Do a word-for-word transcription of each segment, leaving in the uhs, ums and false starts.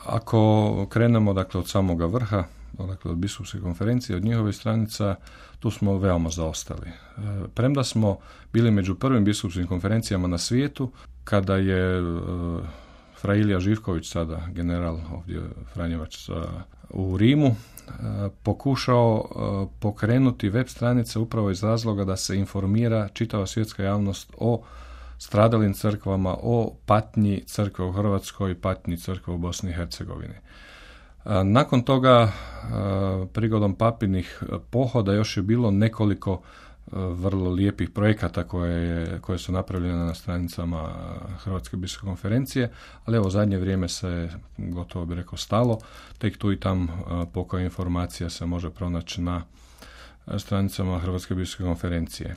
Ako krenemo dakle od samoga vrha, dakle od biskupske konferencije, od njihovih stranica, tu smo veoma zaostali. Premda smo bili među prvim biskupskim konferencijama na svijetu, kada je fra Ilija Živković, sada general ovdje Franjevac u Rimu, pokušao pokrenuti web stranice upravo iz razloga da se informira čitava svjetska javnost o stradalim crkvama, o patnji crkve u Hrvatskoj, patnji crkve u Bosni i Hercegovini. Nakon toga, prigodom papinih pohoda, još je bilo nekoliko vrlo lijepih projekata koje, je, koje su napravljene na stranicama Hrvatske biskupske konferencije, ali evo zadnje vrijeme se gotovo bi rekao stalo, tek tu i tam pokoja informacija se može pronaći na stranicama Hrvatske biskupske konferencije.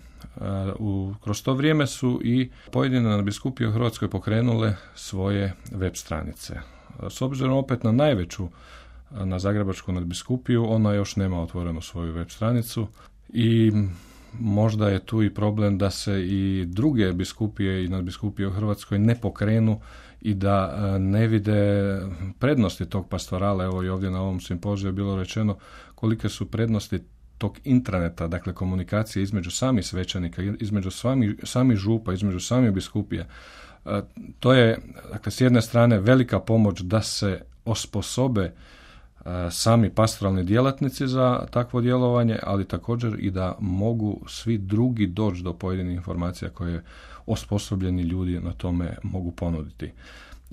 U, kroz to vrijeme su i pojedine nadbiskupije u Hrvatskoj pokrenule svoje web stranice. S obzirom opet na najveću, na Zagrebačku nadbiskupiju, ona još nema otvorenu svoju web stranicu i možda je tu i problem da se i druge biskupije i nadbiskupije u Hrvatskoj ne pokrenu i da ne vide prednosti tog pastorala. Evo i ovdje na ovom simpoziju je bilo rečeno kolike su prednosti tog intraneta, dakle komunikacije između samih svećenika, između sami, sami župa, između samih biskupija. E, to je, dakle, s jedne strane velika pomoć da se osposobe e, sami pastoralni djelatnici za takvo djelovanje, ali također i da mogu svi drugi doći do pojedinih informacija koje osposobljeni ljudi na tome mogu ponuditi.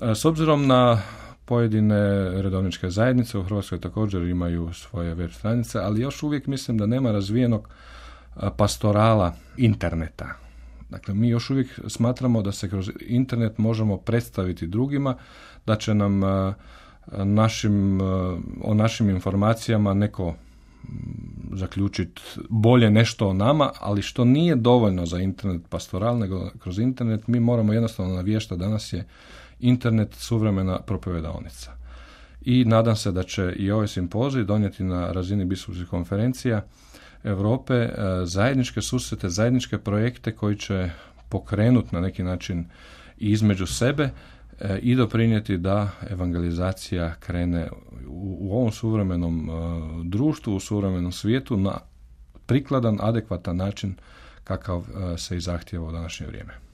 E, s obzirom na pojedine redovničke zajednice u Hrvatskoj također imaju svoje web stranice, ali još uvijek mislim da nema razvijenog pastorala interneta. Dakle, mi još uvijek smatramo da se kroz internet možemo predstaviti drugima, da će nam našim, o našim informacijama neko zaključiti bolje nešto o nama, ali što nije dovoljno za internet pastoral, nego kroz internet mi moramo jednostavno naviještati. Danas je internet suvremena propovedaonica. I nadam se da će i ovaj simpozij donijeti na razini biskupskih konferencija Europe zajedničke susrete, zajedničke projekte koji će pokrenuti na neki način između sebe i doprinijeti da evangelizacija krene u, u ovom suvremenom društvu, u suvremenom svijetu na prikladan, adekvatan način kakav se i zahtijeva u današnje vrijeme.